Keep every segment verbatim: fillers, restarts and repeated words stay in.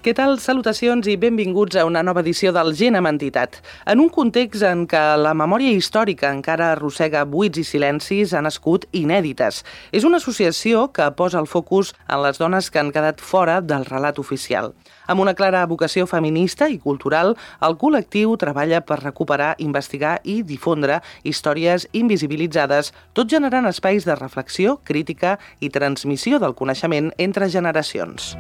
Què tal? Salutacions i benvinguts a una nova edició del Gent amb Entitat. En un context en què la memòria històrica encara arrossega buits i silencis, ha nascut Inèdites. És una associació que posa el focus en les dones que han quedat fora del relat oficial. Amb una clara vocació feminista i cultural, el col·lectiu treballa per recuperar, investigar i difondre històries invisibilitzades, tot generant espais de reflexió, crítica i transmissió del coneixement entre generacions.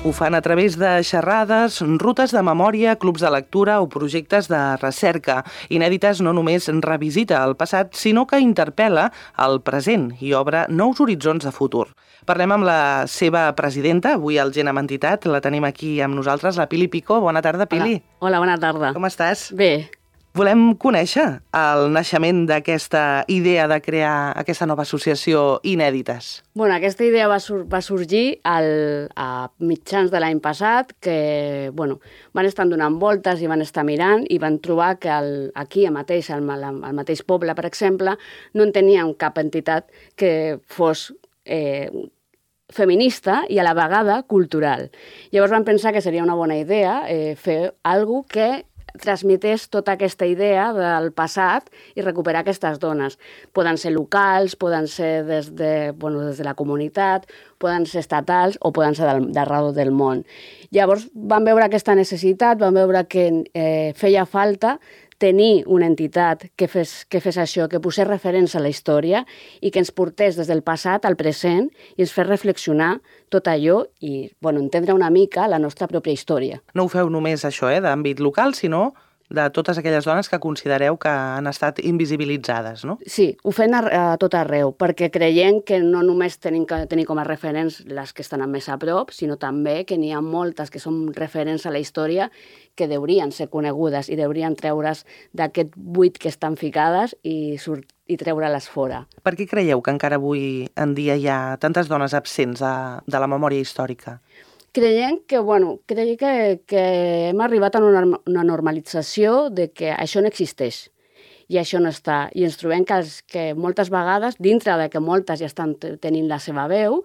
Ho fan a través de xerrades, rutes de memòria, clubs de lectura o projectes de recerca. Inèdites no només revisita el passat, sinó que interpel·la el present i obre nous horitzons de futur. Parlem amb la seva presidenta, avui al Gent amb Entitat. La tenim aquí amb nosaltres, la Pili Pico. Bona tarda, Pili. Hola, Hola bona tarda. Com estàs? Bé. Volem conèixer el naixement d'aquesta idea de crear aquesta nova associació Inèdites. Bueno, aquesta idea va, sur va sorgir al, a mitjans de l'any passat, que bueno, van estar donant voltes i van estar mirant i van trobar que el, aquí mateix, al, al mateix poble, per exemple, no en teníem cap entitat que fos eh, feminista i a la vegada cultural. Llavors van pensar que seria una bona idea eh, fer alguna cosa que transmetés tota aquesta idea del passat i recuperar aquestes dones. Poden ser locals, poden ser des de, bueno, des de la comunitat, poden ser estatals o poden ser d'arreu del món. Llavors van veure aquesta necessitat, van veure que eh, feia falta tenir una entitat que fes, que fes això, que posés referència a la història i que ens portés des del passat al present i ens fes reflexionar tot allò i bueno, entendre una mica la nostra pròpia història. No ho feu només això, eh, d'àmbit local, sinó de totes aquelles dones que considereu que han estat invisibilitzades, no? Sí, ho fem a, a tot arreu, perquè creiem que no només tenim que tenir com a referents les que estan més a prop, sinó també que n'hi ha moltes que són referents a la història que deurien ser conegudes i deurien treure's d'aquest buit que estan ficades i, i treure-les fora. Per què creieu que encara avui en dia hi ha tantes dones absents de, de la memòria històrica? Creiem que, bueno, creiem que, que hem arribat a una, una normalització de que això no existeix i això no està. I ens trobem que, els, que moltes vegades, dintre de que moltes ja estan tenint la seva veu,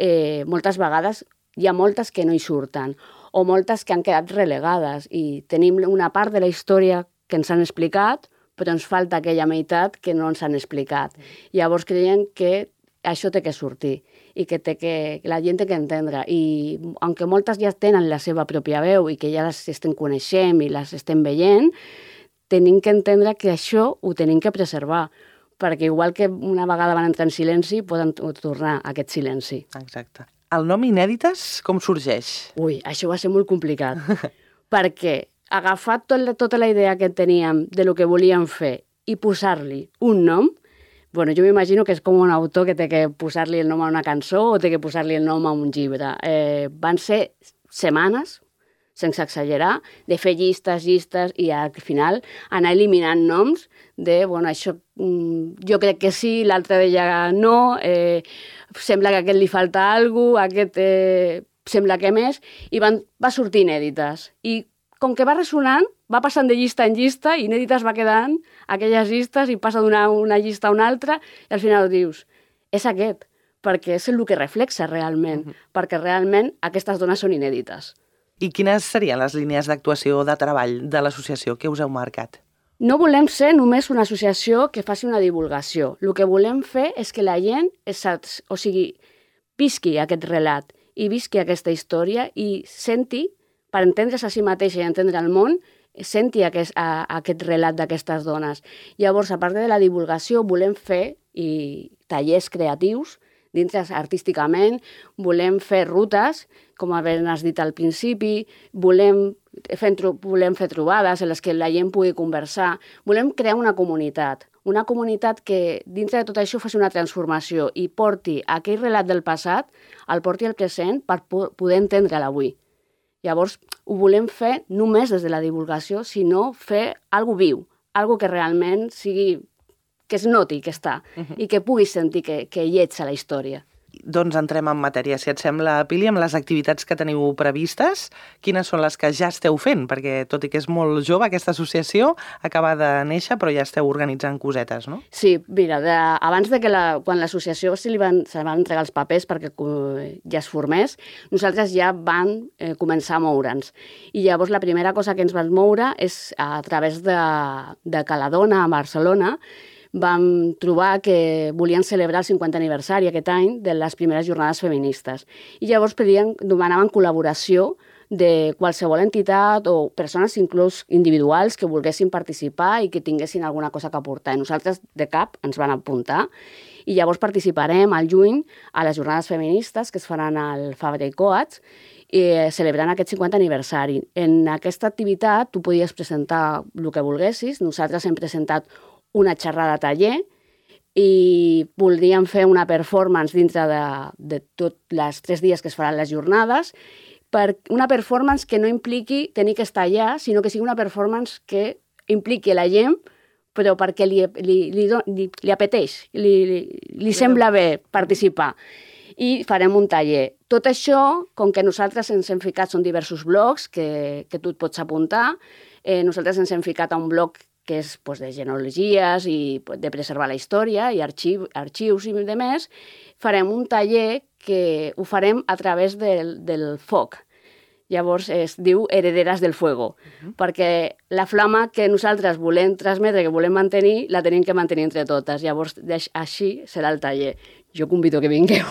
eh, moltes vegades hi ha moltes que no hi surten o moltes que han quedat relegades i tenim una part de la història que ens han explicat, però ens falta aquella meitat que no ens han explicat. Llavors creiem que això té que sortir i que, té que la gent té que entendre. I aunque moltes ja tenen la seva pròpia veu i que ja les estem coneixent i les estem veient, tenim que entendre que això ho tenim que preservar, perquè igual que una vegada van entrar en silenci, poden tornar a aquest silenci. Exacte. El nom Inèdites com sorgeix? Ui, això va ser molt complicat, perquè agafar tot, tota la idea que teníem de lo que volíem fer i posar-li un nom, bueno, jo m'imagino que és com un autor que té que posar-li el nom a una cançó o té que posar-li el nom a un llibre. Eh, van ser setmanes, sense exagerar, de fer llistes, llistes i al final anar eliminant noms de, bueno, això jo crec que sí, l'altre deia no, eh, sembla que a aquest li falta alguna cosa, aquest eh, sembla que més, i van, va sortir Inèdites. I com que va ressonant, va passant de llista en llista i Inèdites va quedant aquelles llistes i passa d'una una llista a una altra i al final dius, és aquest, perquè és el que reflexa realment, uh-huh. perquè realment aquestes dones són inèdites. I quines serien les línies d'actuació o de treball de l'associació que us heu marcat? No volem ser només una associació que faci una divulgació. El que volem fer és que la gent, és, o sigui, visqui aquest relat i visqui aquesta història i senti, per entendre's a si mateixa i entendre el món, senti aquest, a, aquest relat d'aquestes dones. Llavors, a part de la divulgació, volem fer i tallers creatius, dintre artísticament, volem fer rutes, com has dit al principi, volem fer, volem fer trobades en les que la gent pugui conversar, volem crear una comunitat, una comunitat que dintre de tot això faci una transformació i porti aquell relat del passat, el porti al present per poder entendre l'avui. Llavors, ho volem fer només des de la divulgació, sinó fer alguna viu, alguna que realment sigui, que es noti que està uh-huh. i que puguis sentir que, que hi ets a la història. Doncs entrem en matèria. Si et sembla, Pili, amb les activitats que teniu previstes, quines són les que ja esteu fent? Perquè, tot i que és molt jove, aquesta associació acaba de néixer, però ja esteu organitzant cosetes, no? Sí, mira, de, abans de que la, quan l'associació se li van, se van entregar els papers perquè ja es formés, nosaltres ja vam eh, començar a moure'ns. I llavors la primera cosa que ens vam moure és a través de, de Caladona, a Barcelona, vam trobar que volien celebrar el cinquantè aniversari aquest any de les primeres jornades feministes. I llavors pedien, demanaven col·laboració de qualsevol entitat o persones inclús individuals que volguessin participar i que tinguessin alguna cosa que aportar. I nosaltres de cap ens van apuntar i llavors participarem al juny a les jornades feministes que es faran al Fabra i Coats eh, celebrant aquest cinquantè aniversari. En aquesta activitat tu podies presentar el que volguessis. Nosaltres hem presentat una xerrada taller i voldríem fer una performance dintre de, de tots els tres dies que es faran les jornades, per una performance que no impliqui tenir que estar allà, sinó que sigui una performance que impliqui la gent, però perquè li, li, li, li, li apeteix, li, li, li sembla bé participar. I farem un taller. Tot això, com que nosaltres ens hem ficat, són diversos blocs que, que tu et pots apuntar, eh, nosaltres ens hem ficat a un bloc que és pues, de genealogies i de preservar la història i arxiu, arxius i demés, farem un taller que ho farem a través del, del foc. Llavors es diu Herederas del Fuego, uh-huh. perquè la flama que nosaltres volem transmetre, que volem mantenir, la tenim que mantenir entre totes. Llavors així serà el taller. Jo convido que vingueu.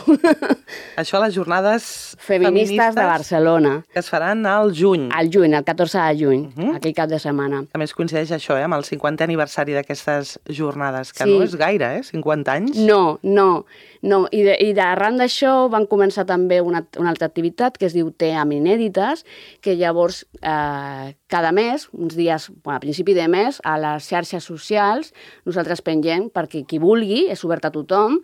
Això a les jornades feministes, feministes de Barcelona. Que es faran al juny. Al juny, el catorze de juny, uh-huh. aquell cap de setmana. A més coincideix això, eh, amb el cinquantè aniversari d'aquestes jornades, que sí. no és gaire, eh? cinquanta anys. No, no. no. I, de, i d'arran d'això van començar també una, una altra activitat que es diu Té amb Inèdites, que llavors eh, cada mes, uns dies, bueno, a principi de mes, a les xarxes socials, nosaltres pengem perquè qui vulgui, és obert a tothom,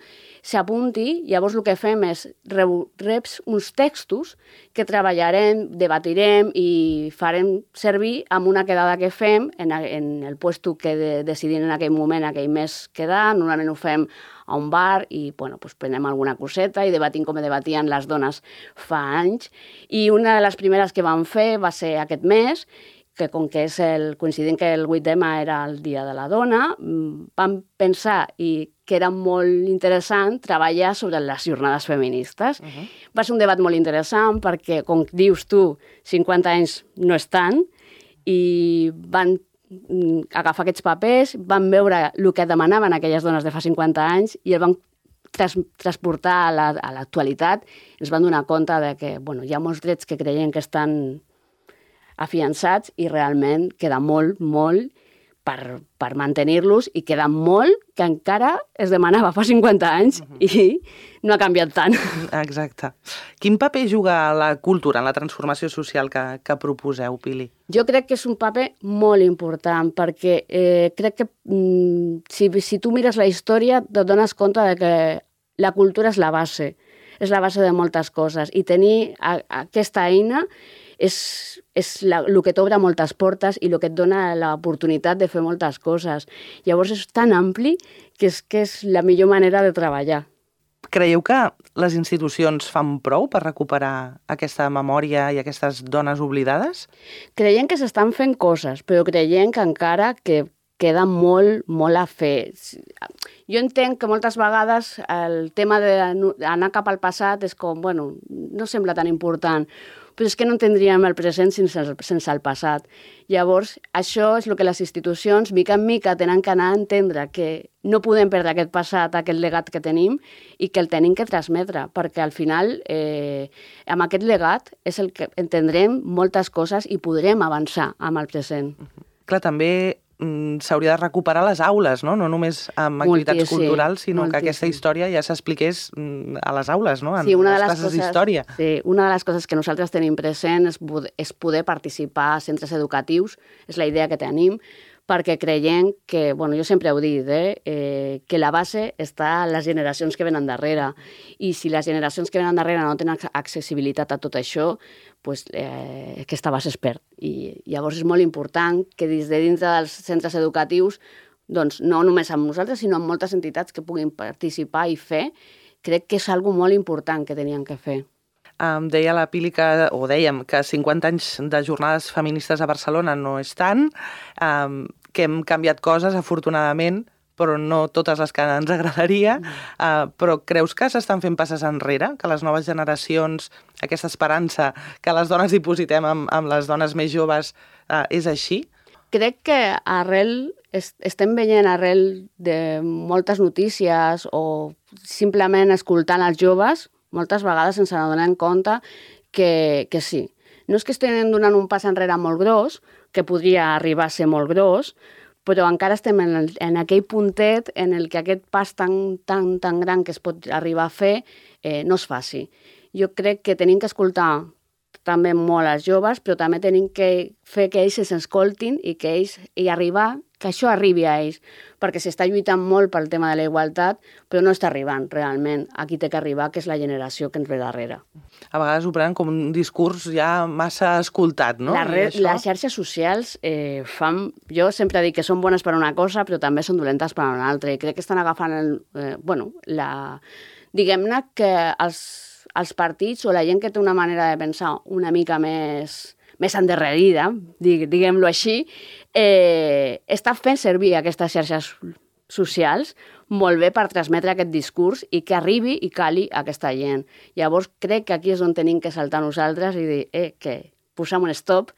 s'apunti, llavors el que fem és reps uns textos que treballarem, debatirem i farem servir amb una quedada que fem en, en el puesto que de, decidim en aquell moment, aquell mes quedar. Normalment ho fem a un bar i bueno, pues prenem alguna coseta i debatim com debatien les dones fa anys. I una de les primeres que vam fer va ser aquest mes, que com que és el, coincidint que el vuit eme era el Dia de la Dona, vam pensar i que era molt interessant treballar sobre les jornades feministes. Uh-huh. Va ser un debat molt interessant perquè, com dius tu, cinquanta anys no és tant, i van agafar aquests papers, van veure el que demanaven aquelles dones de fa cinquanta anys i el van tras, transportar a, la, a l'actualitat. Ens van donar compte de que bueno, hi ha molts drets que creiem que estan afiançats i realment queda molt, molt per, per mantenir-los i queda molt que encara es demanava fa cinquanta anys uh-huh. i no ha canviat tant. Exacte. Quin paper juga la cultura en la transformació social que, que proposeu, Pili? Jo crec que és un paper molt important perquè eh, crec que mm, si, si tu mires la història et dones compte de que la cultura és la base, és la base de moltes coses i tenir a, a aquesta eina és, és la, el que t'obre moltes portes i el que et dona l'oportunitat de fer moltes coses. Llavors és tan ampli que és, que és la millor manera de treballar. Creieu que les institucions fan prou per recuperar aquesta memòria i aquestes dones oblidades? Creiem que s'estan fent coses, però creiem que encara que queda molt, molt a fer. Jo entenc que moltes vegades el tema d'anar cap al passat és com, bueno, no sembla tan important, però és que no tindríem el present sense el, sense el passat. Llavors, això és el que les institucions, mica en mica, tenen que anar a entendre que no podem perdre aquest passat, aquest legat que tenim, i que el tenim que transmetre, perquè al final, eh, amb aquest legat, és el que entendrem moltes coses i podrem avançar amb el present. Uh-huh. Clar, també s'hauria de recuperar les aules, no? No només amb activitats moltíssim, culturals, sinó moltíssim. Que aquesta història ja s'expliqués a les aules, no? En sí, una les de les classes coses, d'història. Sí, una de les coses que nosaltres tenim present és, és poder participar a centres educatius, és la idea que tenim, perquè creiem que, bueno, jo sempre ho he dit, eh, eh, que la base està a les generacions que venen darrere, i si les generacions que venen darrere no tenen accessibilitat a tot això, pues, eh, aquesta base es perd. I llavors és molt important que des de dintre dels centres educatius, doncs, no només amb nosaltres, sinó amb moltes entitats que puguin participar i fer, crec que és algo molt important que tenien que fer. Um, deia la Pili que, o dèiem, que cinquanta anys de jornades feministes a Barcelona no és tant, um, que hem canviat coses, afortunadament, però no totes les que ens agradaria. Uh, però creus que s'estan fent passes enrere? Que les noves generacions, aquesta esperança que les dones dipositem amb, amb les dones més joves, uh, és així? Crec que arrel, est estem veient arrel de moltes notícies o simplement escoltant els joves, moltes vegades ens n'adonem compte que, que sí. No és que estem donant un pas enrere molt gros, que podria arribar a ser molt gros, però encara estem en, el, en aquell puntet en el que aquest pas tan, tan, tan gran que es pot arribar a fer eh, no es faci. Jo crec que tenim que escoltar també molt als joves, però també tenim que fer que ells s'escoltin i que ells i arribar, que això arribi a ells, perquè s'està lluitant molt pel tema de la igualtat, però no està arribant realment a qui té que arribar, que és la generació que ens ve darrere. A vegades ho prenen com un discurs ja massa escoltat, no? La re, les xarxes socials eh, fan... Jo sempre dic que són bones per una cosa, però també són dolentes per una altra, i crec que estan agafant el, eh, bueno, la... diguem-ne que els els partits o la gent que té una manera de pensar una mica més, més endarrerida, diguem-lo així, eh, està fent servir aquestes xarxes socials molt bé per transmetre aquest discurs i que arribi i cali a aquesta gent. Llavors crec que aquí és on tenim que saltar nosaltres i dir eh, que posem un stop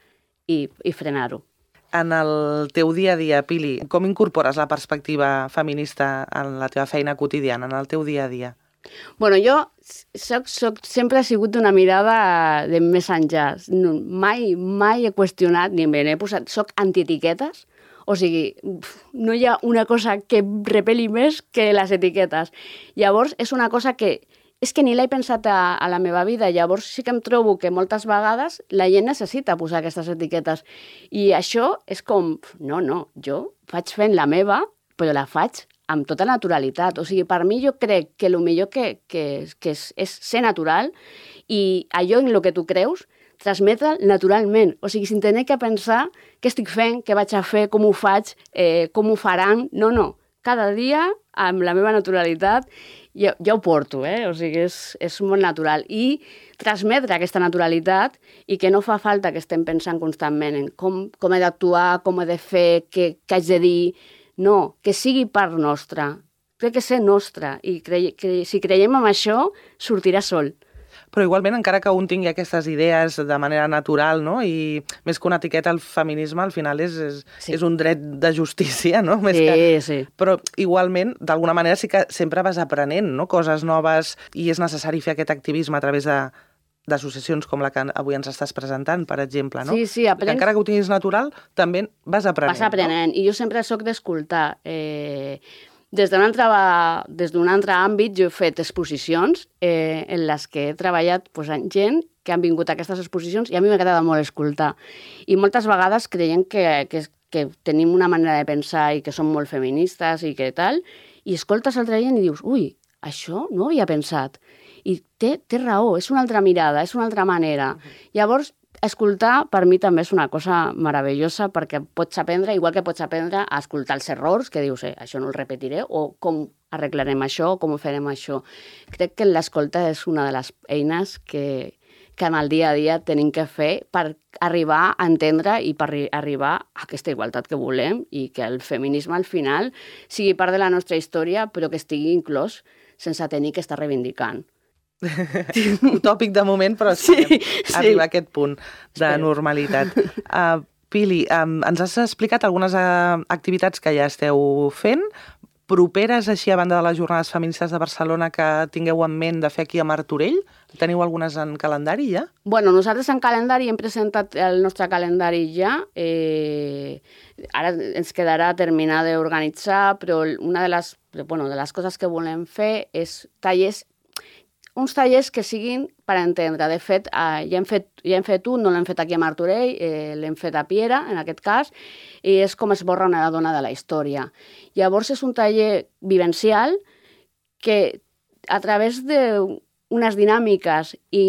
i, i frenar-ho. En el teu dia a dia, Pili, com incorpores la perspectiva feminista en la teva feina quotidiana, en el teu dia a dia? Bueno, jo soc, soc, sempre he sigut d'una mirada de més enllà. No, mai, mai he qüestionat, ni me n'he posat... Soc antietiquetes, o sigui, no hi ha una cosa que repeli més que les etiquetes. Llavors, és una cosa que... És que ni l'he pensat a, a la meva vida. Llavors sí que em trobo que moltes vegades la gent necessita posar aquestes etiquetes. I això és com... No, no, jo faig fent la meva, però la faig amb tota naturalitat. O sigui, per mi jo crec que el millor que, que, que és, és ser natural i allò en el que tu creus, transmetre'l naturalment. O sigui, sin tenir que pensar què estic fent, què vaig a fer, com ho faig, eh, com ho faran. No, no. Cada dia, amb la meva naturalitat, ja, ja ho porto, eh? O sigui, és, és molt natural. I transmetre aquesta naturalitat i que no fa falta que estem pensant constantment en com, com he d'actuar, com he de fer, què, què haig de dir. No, que sigui part nostra. Crec que ser nostra. I cre que si creiem en això, sortirà sol. Però igualment, encara que un tingui aquestes idees de manera natural, no? I més que una etiqueta, el feminisme al final és, és, sí. és un dret de justícia, no? Més sí, que... sí. Però igualment, d'alguna manera sí que sempre vas aprenent, no? Coses noves, i és necessari fer aquest activisme a través de d'associacions com la que avui ens estàs presentant, per exemple, no? Sí, sí, aprens... Encara que ho tinguis natural, també vas aprenent. Vas aprenent, no? I jo sempre soc d'escoltar. Eh, des d'un altre, des d'un altre àmbit jo he fet exposicions eh, en les que he treballat pues, amb gent que han vingut a aquestes exposicions i a mi m'ha agradat molt escoltar. I moltes vegades creiem que, que, que tenim una manera de pensar i que som molt feministes i que tal, i escoltes altra gent i dius, ui, això no ho havia pensat. I té, té raó, és una altra mirada, és una altra manera. Uh-huh. Llavors, escoltar per mi també és una cosa meravellosa perquè pots aprendre, igual que pots aprendre a escoltar els errors, que dius, eh, això no el repetiré, o com arreglarem això, o com ho farem això. Crec que l'escolta és una de les eines que, que en el dia a dia tenim que fer per arribar a entendre i per arribar a aquesta igualtat que volem i que el feminisme al final sigui part de la nostra història però que estigui inclòs sense tenir que estar reivindicant. Utòpic de moment, però sí, sí. arribar a aquest punt de normalitat. Uh, Pili, um, ens has explicat algunes uh, activitats que ja esteu fent, properes així a banda de les Jornades Feministes de Barcelona que tingueu en ment de fer aquí a Martorell? Teniu algunes en calendari ja? Bueno, nosaltres en calendari hem presentat el nostre calendari ja. Eh, ara ens quedarà terminar d'organitzar, però una de les, bueno, de les coses que volem fer és tallers uns tallers que siguin per entendre. De fet, eh, ja, hem fet, ja hem fet un, no l'hem fet aquí a Martorell, eh, l'hem fet a Piera, en aquest cas, i és com esborra una dona de la història. Llavors és un taller vivencial que a través d'unes dinàmiques i,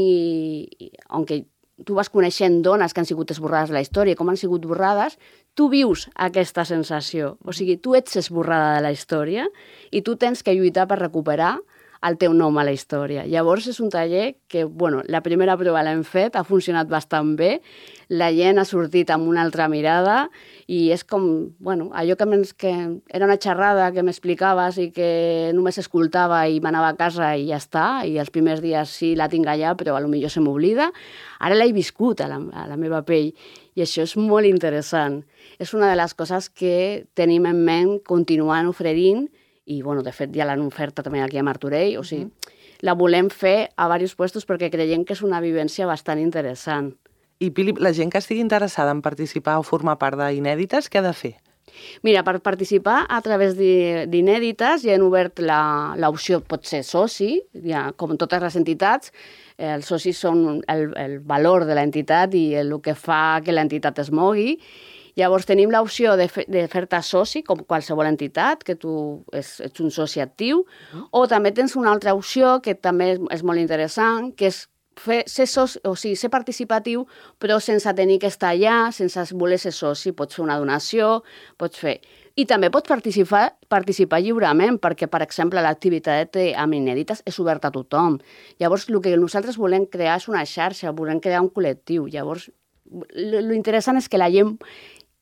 i on tu vas coneixent dones que han sigut esborrades de la història, com han sigut borrades, tu vius aquesta sensació. O sigui, tu ets esborrada de la història i tu tens que lluitar per recuperar el teu nom a la història. Llavors és un taller que, bueno, la primera prova l'hem fet, ha funcionat bastant bé, la gent ha sortit amb una altra mirada i és com, bueno, allò que, que era una xerrada que m'explicaves i que només escoltava i m'anava a casa i ja està, i els primers dies sí la tinc allà, però potser se m'oblida. Ara l'he viscut a la, a la meva pell i això és molt interessant. És una de les coses que tenim en ment continuant oferint i, bueno, de fet, ja l'han oferta també aquí a Martorell, o sigui, uh-huh. la volem fer a diversos puestos perquè creiem que és una vivència bastant interessant. I, Pili, la gent que estigui interessada en participar o formar part d'Inèdites, què ha de fer? Mira, per participar a través d'Inèdites ja han obert l'opció, pot ser soci, ja, com totes les entitats, els socis són el, el valor de l'entitat i el que fa que l'entitat es mogui. Llavors tenim l'opció de, fe, de fer-te soci, com qualsevol entitat, que tu és, ets un soci actiu, uh-huh. o també tens una altra opció que també és, és molt interessant, que és fer, ser, soci, o sigui, ser participatiu, però sense tenir que estar allà, sense voler ser soci. Pots fer una donació, pots fer... I també pots participar, participar lliurement, perquè, per exemple, l'activitat amb Inèdites és oberta a tothom. Llavors, el que nosaltres volem crear és una xarxa, volem crear un col·lectiu. Llavors, l'interessant és que la gent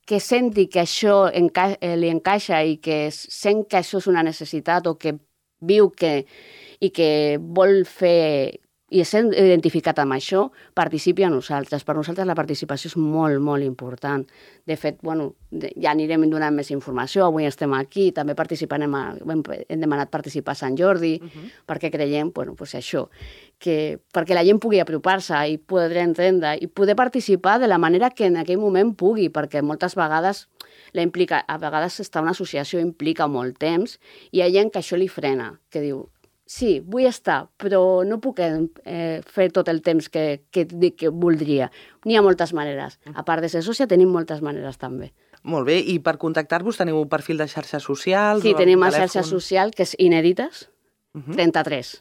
que senti que això enca li encaixa i que sent que això és una necessitat o que viu que, i que vol fer i sent identificat amb això, participi a nosaltres. Per nosaltres la participació és molt, molt important. De fet, bueno, ja anirem donant més informació. Avui estem aquí, també participarem, a, hem demanat participar a Sant Jordi, uh-huh. perquè creiem, bueno, pues això, que perquè la gent pugui apropar-se i poder entendre i poder participar de la manera que en aquell moment pugui, perquè moltes vegades la implica, a vegades estar una associació implica molt temps i hi ha gent que això li frena, que diu, sí, vull estar, però no puc eh, fer tot el temps que, que, que voldria. N'hi ha moltes maneres. A part de ser sòcia, tenim moltes maneres també. Molt bé, i per contactar-vos teniu un perfil de xarxes socials? Sí, tenim una xarxa social que és Inèdites trenta-tres.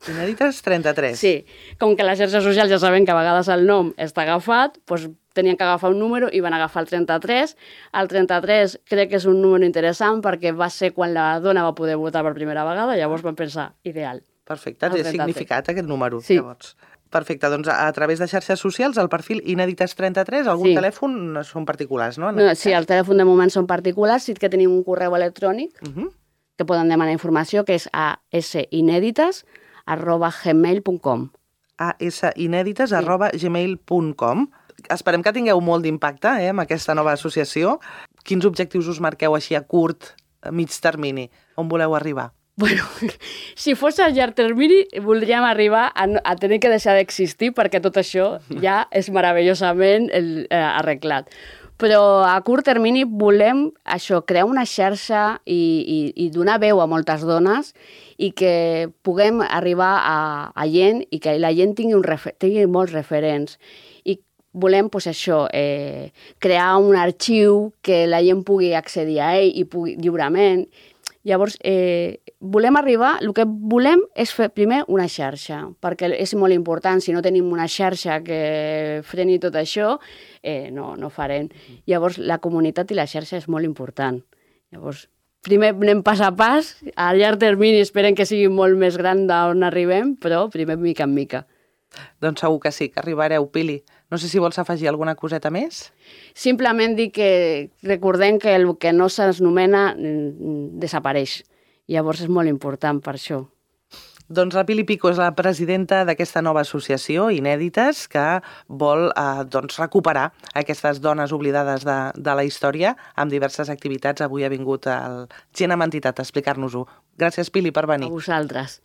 Inèdites trenta-tres. Sí, com que les xarxes socials ja saben que a vegades el nom està agafat, doncs tenien que agafar un número i van agafar el trenta-tres. El trenta-tres crec que és un número interessant perquè va ser quan la dona va poder votar per primera vegada, llavors vam pensar, ideal. Perfecte, té significat aquest número, sí. Llavors. Perfecte, doncs a través de xarxes socials, el perfil Inèdites trenta-tres, algun sí. telèfon són particulars, no? no sí, el telèfon de moment són particulars, sí que tenim un correu electrònic uh-huh. que poden demanar informació, que és a asinèdites arroba gmail punt com. asinèdites arroba gmail punt com. Esperem que tingueu molt d'impacte eh, amb aquesta nova associació. Quins objectius us marqueu així a curt, a mig termini? On voleu arribar? Bueno, si fos a llarg termini, voldríem arribar a, a tenir que deixar d'existir perquè tot això ja és meravellosament el, eh, arreglat. Però a curt termini volem això, crear una xarxa i, i, i donar veu a moltes dones i que puguem arribar a, a gent i que la gent tingui, un refer, tingui molts referents. I volem pues, això, eh, crear un arxiu que la gent pugui accedir a ell i pugui, lliurement. Llavors, eh, volem arribar, el que volem és fer primer una xarxa, perquè és molt important, si no tenim una xarxa que freni tot això, eh, no, no farem. Llavors, la comunitat i la xarxa és molt important. Llavors, primer anem pas a pas, a llarg termini esperem que sigui molt més gran d'on arribem, però primer mica en mica. Doncs segur que sí, que arribareu, Pili. No sé si vols afegir alguna coseta més? Simplement dir que recordem que el que no s'anomena desapareix. Llavors és molt important per això. Doncs la Pili Pico és la presidenta d'aquesta nova associació, Inèdites, que vol eh, doncs, recuperar aquestes dones oblidades de, de la història amb diverses activitats. Avui ha vingut el Gent amb Entitat a explicar-nos-ho. Gràcies, Pili, per venir. A vosaltres.